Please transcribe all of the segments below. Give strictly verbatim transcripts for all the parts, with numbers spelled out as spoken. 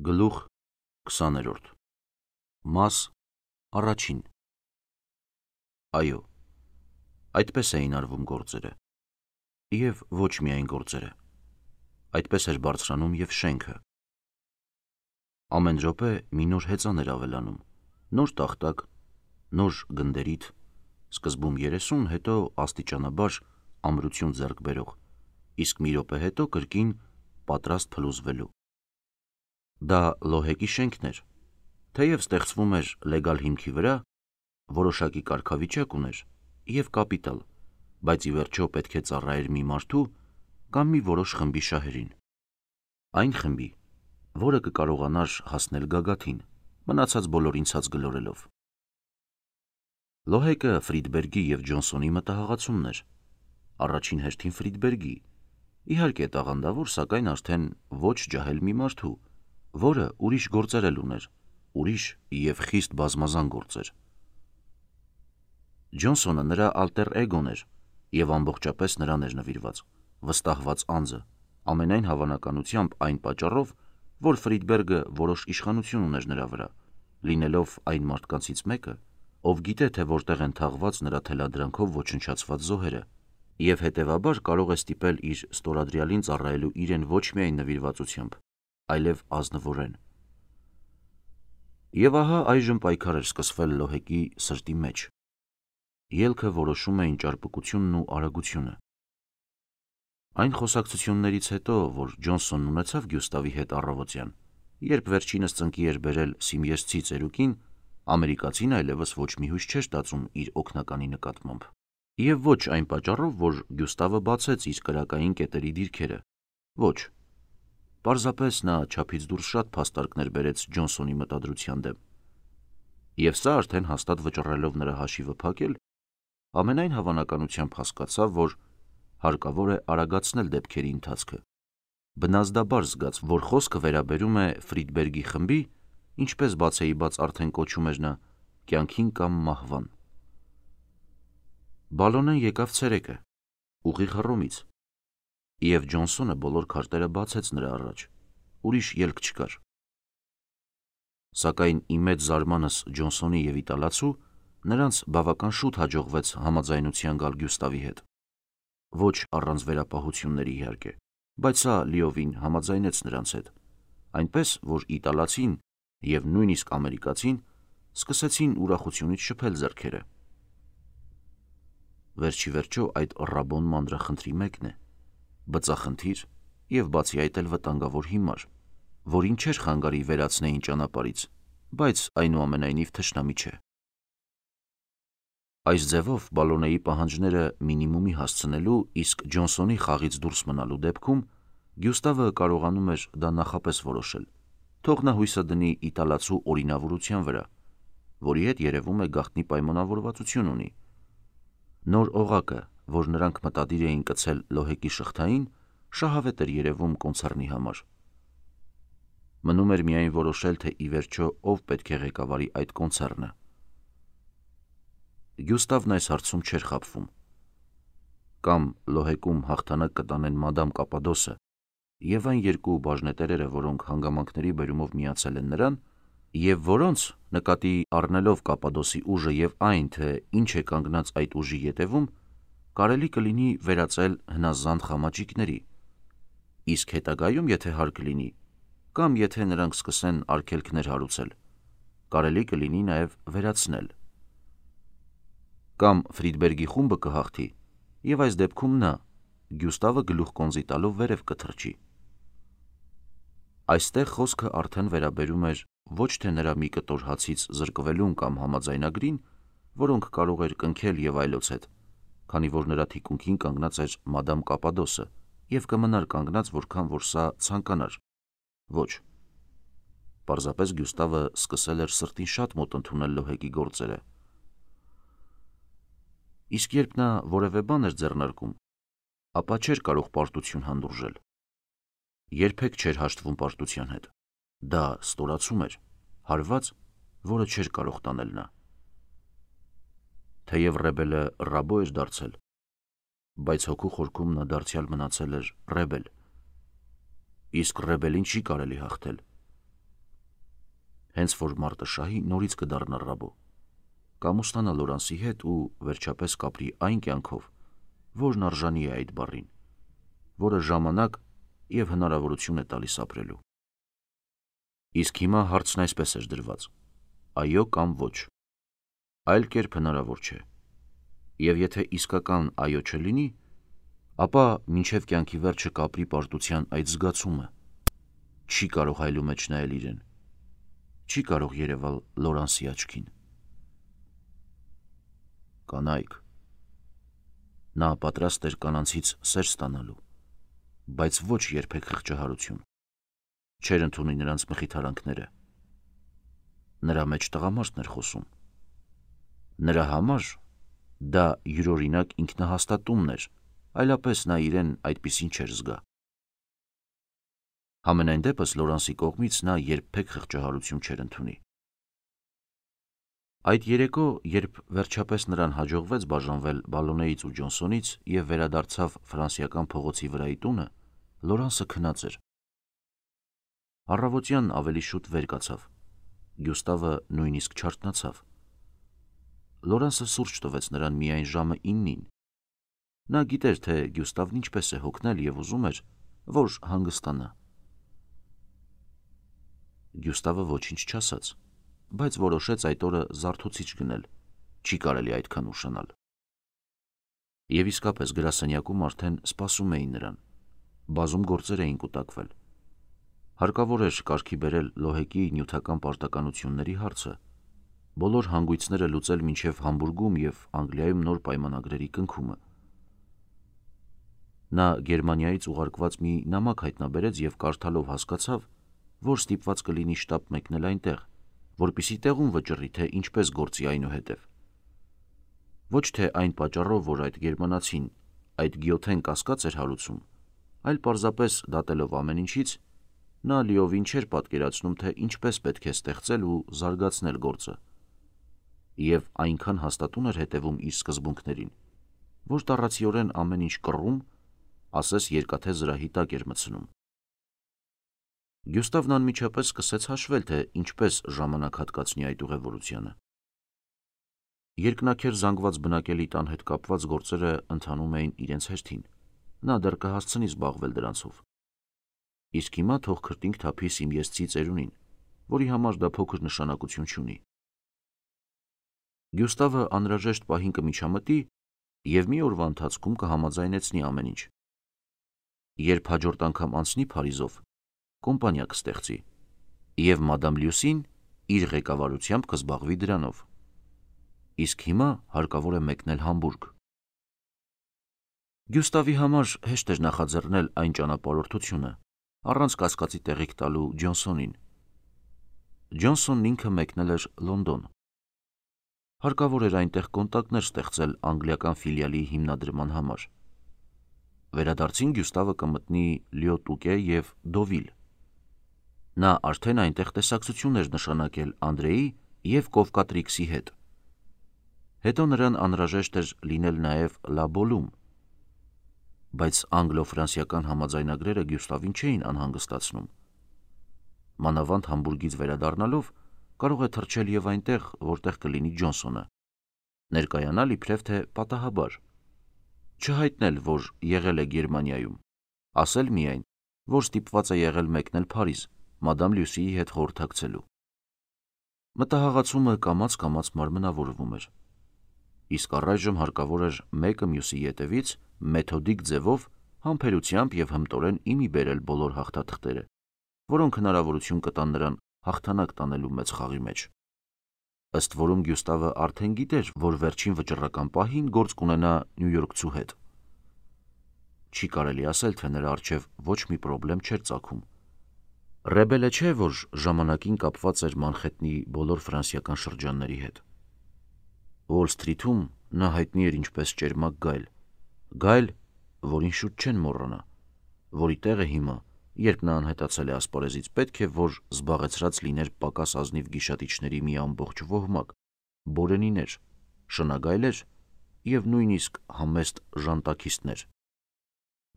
Գլուխ քսաներորդ Մաս առաջին Այո, այդպես էին արվում գործերը, և ոչ միայն գործերը, այդպես էր բարձրանում և շենքը։ Ամեն րոպե մի նոր հեծան էր ավելանում, նոր տախտակ, նոր գնդերիթ, սկզբում երեսուն, հետո աստիճանաբար ամրություն ձեռք բերող, իսկ մի րոպե հետո կրկին պատրաստ փլուզվելու։ Դա Լոհեկի շենքն էր, թեև ստեղծվում էր լեգալ հիմքի վրա, որոշակի կարգավիճակ ուներ և կապիտալ, բայց ի վերջո պետք է ծառայեր մի մարդու կամ մի որոշ խմբի շահերին։ Այն խմբի, որը կկարողանար հասնել գագաթին, մնացած բոլորին ցած գլորելով։ Լոհեկը Ֆրիդբերգի և Ջոնսոնի մտահղացումն էր, առաջին հերթին Ֆրիդբերգի, իհարկե տաղանդավոր, սակայն արդեն ոչ ջահել մի մարդու, որը ուրիշ գործեր էլ ուներ, ուրիշ և խիստ բազմազան գործեր։ Ջոնսոնը նրա ալտեր էգոն էր և ամբողջապես նրան էր նվիրված, վստահված անձը, ամենայն հավանականությամբ այն պատճառով, որ Ֆրիդբերգը որոշ իշխանություն ուներ նրա վրա, լինելով այն մարդկանցից մեկը, ով գիտե, թե որտեղ են թաղված նրա թելադրանքով ոչնչացված զոհերը, և հետևաբար կարող է ստիպել իր ստորադրյալին ծառայելու իրեն ոչ միայն նվիրվածությամբ, այլև ազնվորեն։ Եվ ահա այժմ պայքար էր սկսվել Լոհեկի սրտի մեջ։ Ելքը որոշում էին ճարպկությունն ու արագությունը։ Այն խոսակցություններից հետո, որ Ջոնսոնն ունեցավ Գյուստավի հետ առավոտյան, երբ վերջինս ծնկի էր բերել Սիմիեսցի ծերուկին, ամերիկացին այլևս ոչ մի հույս չէր ստացում իր օգնականի նկատմամբ։ Եվ ոչ այն պատճառով, որ Գյուստավը բացեց իր կրակային կետերի դիրքերը, ոչ, պարզապես նա չափից դուրս շատ փաստարկներ բերեց Ջոնսոնի մտադրության դեմ, և սա արդեն հաստատ վճռելով նրա հաշիվը փակել, ամենայն հավանականությամբ հասկացավ, որ հարկավոր է արագացնել դեպքերի ընթացքը, բնազդաբար զգաց, որ խոսքը վերաբերում է Ֆրիդբերգի խմբի, ինչպես բացեիբաց արդեն կոչում էր նա, կյանքին կամ մահվան։ Բալոնեն եկավ ցերեկը, ուղիղ Հռոմից, և Ջոնսոնը բոլոր քարտերը բացեց նրա առաջ, ուրիշ ելք չկար։ Սակայն ի մեծ զարմանս Ջոնսոնի և իտալացու, նրանց բավական շուտ հաջողվեց համաձայնության գալ Գյուստավի հետ։ Ոչ առանց վերապահությունների իհարկե, բայց սա լիովին համաձայնեց նրանց հետ, այնպես, որ իտալացին և նույնիսկ ամերիկացին սկսեցին ուրախությունից շփել ձեռքերը։ Վերջիվերջո այդ Ռաբոն մանրախնդրի մեկն է, բծախնդիր և բացի այդ էլ վտանգավոր հիմար, որին չէր խանգարի վերացնեին ճանապարհից, բայց այնուամենայնիվ թշնամի չէ։ Այս ձևով Բալոնեի պահանջները մինիմումի հասցնելու, իսկ Ջոնսոնի խաղից դուրս մնալու դեպքում Գյուստավը կարողանում էր դա նախապես որոշել, թող նա հույսը դնի իտալացու օրինավորության վրա, որի հետ երևում է գաղտնի պայմանավորվածություն ունի։ Նոր օղակը, որ նրանք մտադիր էին կցել Լոհեկի շղթային, շահավետ էր երևում կոնցեռնի համար։ Մնում էր միայն որոշել, թե ի վերջո ով պետք է ղեկավարի այդ կոնցեռնը։ Գյուստավն այս հարցում չէր խաբվում։ Կամ Լոհեկում հաղթանակ կտանեն մադամ Կապադոսը և այն երկու բաժնետերերը, որոնք հանգամանքների բերումով միացել են նրան, և որոնց, նկատի առնելով Կապադոսի ուժը և այն, թե ինչ է կանգնած այդ ուժի ետևում, կարելի կլինի վերածել հնազանդ խամաճիկների, իսկ հետագայում, եթե հարկ լինի, կամ եթե նրանք սկսեն արգելքներ հարուցել, կարելի կլինի նաև վերացնել։ Կամ Ֆրիդբերգի խումբը կհաղթի, և այս դեպքում նա, Գյուստավը գլուխ կոնզի տալով վերև կթռչի։ Այստեղ խոսքը արդեն վերաբերում էր ոչ թե նրա մի կտոր հացից զրկվելուն կամ համաձայնագրին, որոնք կարող էր կնքել և այլոց հետ, քանի որ նրա թիկունքին կանգնած էր մադամ Կապադոսը և կմնար կանգնած, որքան որ սա ցանկանար։ Ոչ, պարզապես Գյուստավը սկսել էր սրտին շատ մոտ ընդունել Լոհեկի գործերը։ Իսկ երբ նա որևէ բան էր ձեռնարկում, ապա չէր կարող պարտություն հանդուրժել։ Երբեք չէր հաշտվում պարտության հետ։ Դա ստորացում էր, հարված, որը չէր կարող տանել նա։ Թեև Ռեբելը Ռաբո էր դարձել, բայց հոգու խորքում նա դարձյալ մնացել էր Ռեբել։ Իսկ Ռեբելին չի կարելի հաղթել, հենց որ Մարտաշահի նորից կդառնա Ռաբո, կամ ուստանա Լորանսի հետ ու վերջապես կապրի այն կյանքով, որն արժանի է այդ բառին, որը ժամանակ և հնարավորություն է տալիս ապրելու։ Իսկ հիմա հարցն այսպես էր դրված. այո կամ ոչ։ Այլ կերպ հնարավոր չէ։ Եվ եթե իսկական այո չլինի, ապա մինչև կյանքի վերջը կապրի պարտության այդ զգացումը, չի կարող հայլու մեջ նայել իրեն, չի կարող երևալ Լորանսի աչքին։ Կանայք։ Նա պատրաստ էր կանանցից սեր ստանալու, բայց ոչ երբեք խղճահարություն, չէր ընդունի նրանց մխիթարանքները։ Նրա մեջ տղամարդն էր խոսում։ Նրա համար դա յուրօրինակ ինքնահաստատումն էր, այլապես նա իրեն այդպիսին չէր զգա։ Համենայն դեպս Լորանսի կողմից նա երբեք խղճահարություն չէր ընդունի։ Այդ երեկո, երբ վերջապես նրան հաջողվեց բաժանվել Բալոնեից ու Ջոնսոնից և վերադարձավ ֆրանսիական փողոցի վրայի տունը, Լորանսը քնած էր։ Առավոտյան ավելի շուտ վեր կացավ։ Գյուստավը նույնիսկ չարթնացավ։ Լորանսը սուրճ տվեց նրան միայն ժամը իննին։ Նա գիտեր, թե Գյուստավն ինչպես է հոգնել և ուզում էր, որ հանգստանա։ Գյուստավը ոչինչ չասաց, բայց որոշեց այդ օրը զարթուցիչ գնել, չի կարելի այդքան ուշանալ։ Եվ իսկապես գրասենյակում արդեն սպասում էին նրան, բազում գործեր էին կուտակվել։ Հարկավոր էր կարգի բերել Լոհեկի նյութական պարտականությունների հարցը, բոլոր հանգույցները լուծել մինչև Համբուրգում և Անգլիայում նոր պայմանագրերի կնքումը։ Նա Գերմանիայից ուղարկված մի նամակ հայտնաբերեց և կարդալով հասկացավ, որ ստիպված կլինի շտապ մեկնել այնտեղ, որպեսզի տեղում վճռի, թե ինչպես գործի այնուհետև։ Ոչ թե այն պատճառով, որ այդ գերմանացին այդ գիոթեն կասկած էր հարուցում, այլ պարզապես դատելով ամեն ինչից, նա լիովին չէր պատկերացնում, թե ինչպես պետք է ստեղծել ու զարգացնել գործը, և այնքան հաստատուն էր հետևում իր սկզբունքներին, որ տառացիորեն ամեն ինչ կռում, ասես երկաթե զրահի տակ էր մտցնում։ Գյուստավն անմիջապես սկսեց հաշվել, թե ինչպես ժամանակ հատկացնի այդ ուղևորությանը։ Երկնաքեր զանգված բնակելի տան հետ կապված գործերը ընթանում էին իրենց հերթին, նա դեռ կհասցնի զբաղվել դրանցով։ Իսկ հիմա թող քրտինք թափի Սիմիեզցի ծերունին, որի համար դա փոքր նշանակություն չունի։ Գյուստավը անհրաժեշտ պահին կմիջամտի և մի օրվա ընթացքում կհամաձայնեցնի ամեն ինչ։ Երբ հաջորդ անգամ անցնի Փարիզով, կոմպանիա կստեղծի, և մադամ Լյուսին իր ղեկավարությամբ կզբաղվի դրանով։ Իսկ հիմա հարկավոր է մեկնել Համբուրգ։ Գյուստավի համար հեշտ էր նախաձեռնել այն ճանապարհորդությունը, առանց կասկածի տեղիք տալու Ջոնսոնին։ Ջոնսոնն ինքը մեկնել էր Լոնդոն։ Հարկավոր էր այնտեղ կոնտակտներ ստեղծել անգլիական ֆիլիալի հիմնադրման համար։ Վերադարձին Գյուստավը կմտնի Լյո-Տուկե և Դովիլ։ Նա արդեն այնտեղ տեսակցություն էր նշանակել Անդրեի և Կովկատրիքսի հետ։ Հետո նրան անհրաժեշտ էր լինել նաև Լաբոլում, բայց անգլո-ֆրանսիական համաձայնագրերը Գյուստավին չէին անհանգստացնում։ Մանավանդ Համբուրգից վերադառնալով կարող է թռչել և այնտեղ, որտեղ կլինի Ջոնսոնը, ներկայանալ իբրև թե պատահաբար, չհայտնել, որ եղել է Գերմանիայում, ասել միայն, որ ստիպված է եղել մեկնել Փարիզ, մադամ Լյուսիի հետ խորհրդակցելու։ Մտահաղացումը կամաց-կամաց մարմնավորվում էր։ Իսկ առայժմ հարկավոր էր մեկը մյուսի ետևից մեթոդիկ ձևով համբերությամբ և հմտորեն իմի բերել բոլոր հաղթաթղթերը, որոնք հնարավորություն կտան նրան հաղթանակ տանելու մեծ խաղի մեջ։ Ըստ որում Գյուստավը արդեն գիտեր, որ վերջին վճռական պահին գործ կունենա նյույորքցու հետ։ Չի կարելի ասել, թե նրա առջև ոչ մի պրոբլեմ չէր ծագում։ Ռեբելը չէ, որ ժամանակին կապված էր Մանխեթնի բոլոր ֆրանսիական շրջանների հետ։ Ուոլ Սթրիթում նա հայտնի էր ինչպես ճերմակ գայլ, գայլ, որին շուտ չեն մոռանա, որի տեղը հիմա, երբ նա անհետացել է ասպարեզից, պետք է որ զբաղեցրած լիներ պակաս ազնիվ գիշատիչների մի ամբողջ ոհմակ, բորենիներ, շնագայլեր և նույնիսկ համեստ ժանտաքիստներ։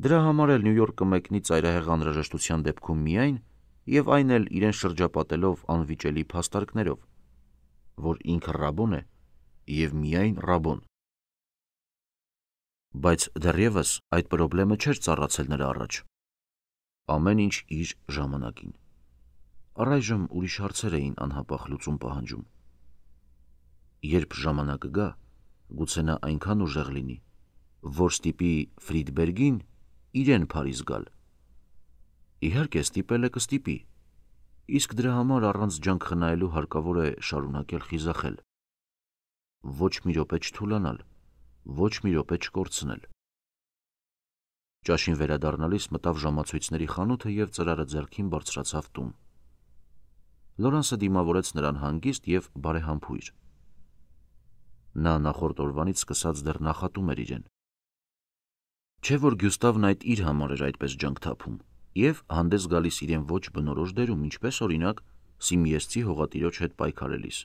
Դրա համար էլ Նյու Յորք կմեկնի ծայրահեղ անհրաժեշտության դեպքում միայն, և այն էլ իրեն շրջապատելով անվիճելի փաստարկներով, որ ինքը Ռաբոն է և միայն Ռաբոն։ Բայց դեռևս այդ պրոբլեմը չէր ծառացել նրա առաջ։ Ամեն ինչ իր ժամանակին։ Առայժմ ուրիշ հարցեր էին անհապաղ լուծում պահանջում։ Երբ ժամանակը գա, գուցե նա այնքան ուժեղ լինի, որ ստիպի Ֆրիդբերգին իրեն Փարիզ գալ։ Իհարկե, ստիպել է կստիպի, իսկ դրա համար առանց ջանք խնայելու հարկավոր է շարունակել խիզախել։ Ոչ մի րոպե չթուլանալ, ոչ մի րոպե չկորցնել։ Ճաշին վերադառնալիս մտավ ժամացույցների խանութը և ծրարը ձեռքին բարձրացավ տուն։ Լորանսը դիմավորեց նրան հանգիստ և բարեհամբույր։ Նա նախորդ օրվանից սկսած դեռ նախատում էր իրեն։ Չէ՞ որ Գյուստավն այդ իր համար էր այդպես ջանք թափում և հանդես գալիս իրեն ոչ բնորոշ դերում, ինչպես օրինակ Սիմիեզցի հողատիրոջ հետ պայքարելիս։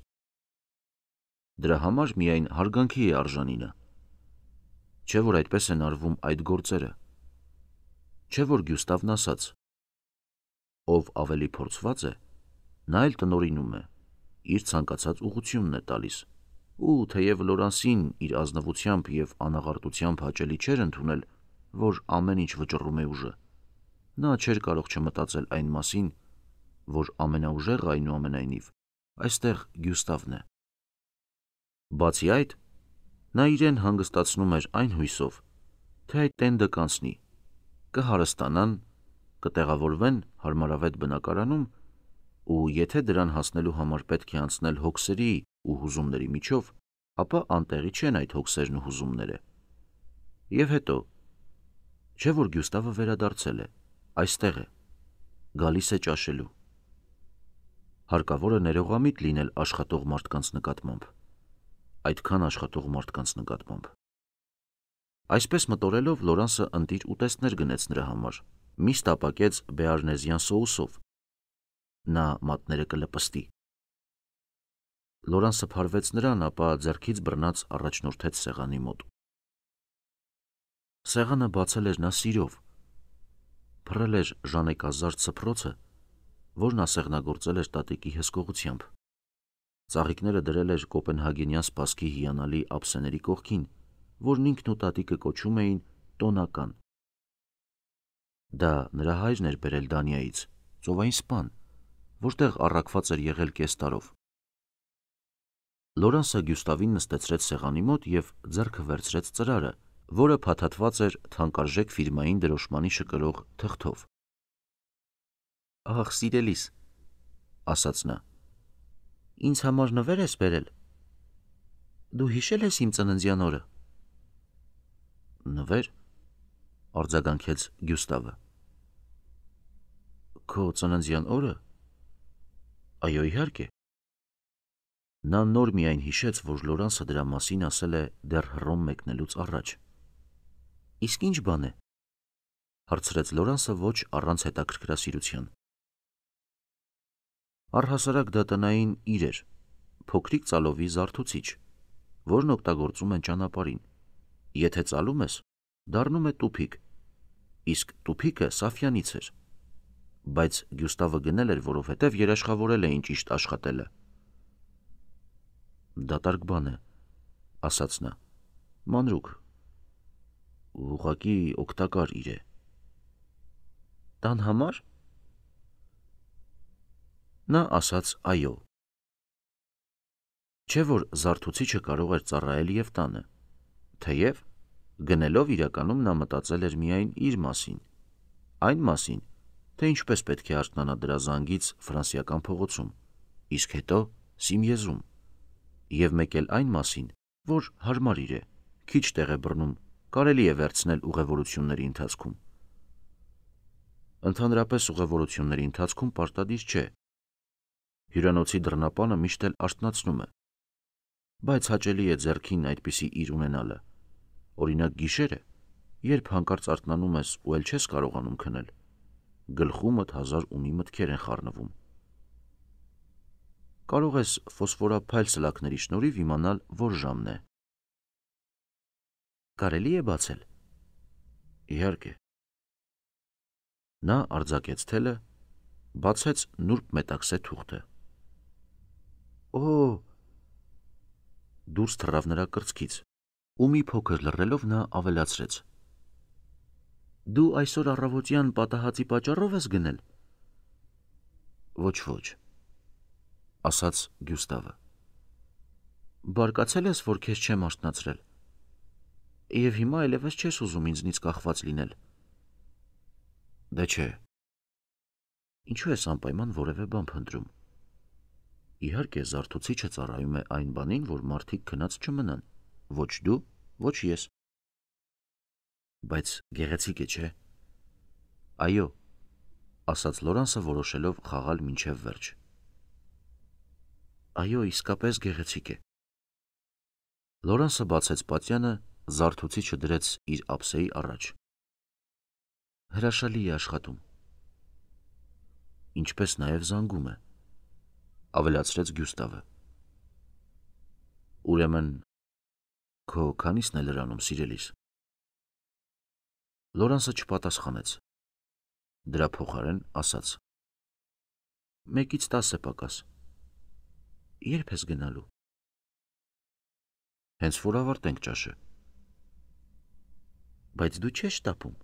Դրա համար միայն հարգանքի է արժանի նա։ Չէ՞ որ այդպես են արվում այդ գործերը։ Չէ՞ որ Գյուստավն ասաց. ով ավելի փորձված է, նա էլ տնօրինում է, իր ցանկացած ուղղությունն է տալիս, ու թեև Լորանսին իր ազնվությամբ և անաղարտությամբ հաճելի չէր ընդունել, որ ամեն ինչ վճռում է ուժը, նա չէր կարող չմտածել այն մասին, որ ամենաուժեղը այնուամենայնիվ այստեղ Գյուստավն է։ Բացի այդ, նա իրեն հանգստացնում էր այն հույսով, թե այդ տենդը կանցնի, կհարստանան, կտեղավորվեն հարմարավետ բնակարանում, ու եթե դրան հասնելու համար պետք է անցնել հոգսերի ու հուզումների միջով, ապա անտեղի չեն այդ հոգսերն ու հուզումները։ Եվ հետո, չէ՞ որ Գյուստավը վերադարձել է, այստեղ է, գալիս է ճաշելու։ Հարկավոր է ներողամիտ լինել աշխատող մարդկանց նկատմամբ, այդքան աշխատող մարդկանց նկատմամբ։ Այսպես մտորելով Լորանսը ընտիր ուտեստներ գնեց նրա համար, միս տապակեց բեարնեզյան սոուսով։ Նա մատները կլպստի։ Լորանսը փարվեց նրան, ապա ձեռքից բռնած առաջնորդեց սեղանի մոտ։ Սեղանը բացել էր նա սիրով, փռել էր ժանեկազարդ սփռոցը, որն ասեղնագործել էր տատիկի հսկողությամբ։ Ծաղիկները դրել էր կոպենհագենյան սպասքի հիանալի ափսեների կողքին, որն ինքն ու տատիկը կոչում էին տոնական։ Դա նրա հայրն էր բերել Դանիայից, ծովային սպան, որտեղ առաքված էր եղել կես տարով։ Լորանսը Գյուստավին նստեցրեց սեղանի մոտ և ձեռքը վերցրեց ծրարը, որը փաթաթված էր թանկարժեք ֆիրմային դրոշմանի շկրող թղթով։ Ահ, սիրելիս, ասաց նա, ինձ համար նվեր ես բերել։ Դու հիշել ես իմ ծննդյան օրը։ Նվեր, արձագանքեց Գյուստավը։ Քո ծննդյան օրը։ Այո, իհարկե։ Նա նոր միայն հիշեց, որ Լորանսը դրա մասին ասել է դեռ Հռոմ մեկնելուց առաջ։ Իսկ ինչ բան է, հարցրեց Լորանսը ոչ առանց հետաքրքրասիրության։ Առհասարակ դա տնային իր էր, փոքրիկ ծալովի զարթուցիչ, որն օգտագործում են ճանապարհին։ Եթե ծալում ես, դառնում է տուփիկ, իսկ տուփիկը Սաֆյանից էր, բայց Գյուստավը գնել էր, որովհետև երաշխավորել էին ճիշտ աշխատելը։ Դատարկ բան է, ասաց նա, մանրուք, ուղղակի օգտակար իր է։ Տան համար։ Նա ասաց այո։ Չէ՞ որ զարթուցիչը կարող էր ծառայել և տանը, թեև գնելով իրականում նա մտածել էր միայն իր մասին, այն մասին, թե ինչպես պետք է արթնանա դրա զանգից Ֆրանսիական փողոցում, իսկ հետո Սիմիեզում, և մեկ էլ այն մասին, որ հարմար իր է, քիչ տեղ է բռնում, կարելի է վերցնել ուղևորությունների ընթացքում։ Ընդհանրապես ուղևորությունների ընթացքում պարտադիր չէ։ Հյուրանոցի դռնապանը միշտ էլ արթնացնում է, բայց հաճելի է ձեռքին այդպիսի իր ունենալը, օրինակ գիշերը, երբ հանկարծ արթնանում ես ու էլ չես կարողանում քնել, գլխումդ հազար ու մի մտքեր են խառնվում։ Կարող ես ֆոսֆորափայլ սլաքների շնորհիվ իմանալ, որ ժամն է։ Կարելի է բացել։ Իհարկե։ Նա արձակեց թելը բացեց նուրբ մետաքսե թուղթը։ Օ! Դուրս թռավ նրա կրծքից, ու մի փոքր լռելով նա ավելացրեց. Դու այսօր առավոտյան պատահածի պատճառով ես գնել։ Ոչ, ոչ, ասաց Գյուստավը։ Բարկացել ես, որ քեզ չեմ արթնացրել, և հիմա այլևս չես ուզում ինձնից կախված լինել։ Դե չէ։ Ինչու ես անպայման որևէ բան փնտրում։ Իհարկե, զարթուցիչը ծառայում է այն բանին, որ մարդիկ քնած չմնան, ոչ դու, ոչ ես։ Բայց գեղեցիկ է, չէ։ Այո, ասաց Լորանսը, որոշելով խաղալ մինչև վերջ։ Այո, իսկապես գեղեցիկ է։ Լորանսը բացեց պատյանը, զարթուցիչը դրեց իր ափսեի առաջ։ Հրաշալի է աշխատում։ Ինչպես նաև զանգում է, ավելացրեց Գյուստավը։ Ուրեմն, քո քանիսն է լրանում, սիրելիս։ Լորանսը չպատասխանեց։ Դրա փոխարեն ասաց. Մեկից տասը պակաս։ Երբ ես գնալու։ Հենց որ ավարտենք ճաշը։ Բայց դու չես շտապում։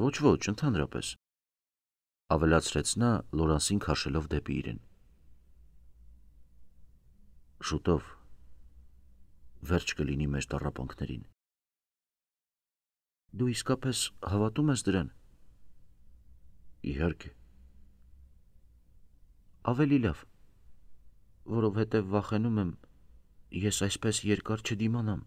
Ոչ, ոչ, ընդհանրապես, ավելացրեց նա, Լորանսին քաշելով դեպի իրեն։ Շուտով վերջ կլինի մեր տառապանքներին։ Դու իսկապես հավատում ես դրան։ Իհարկե։ Ավելի լավ, որովհետև վախենում եմ, ես այսպես երկար չդիմանամ։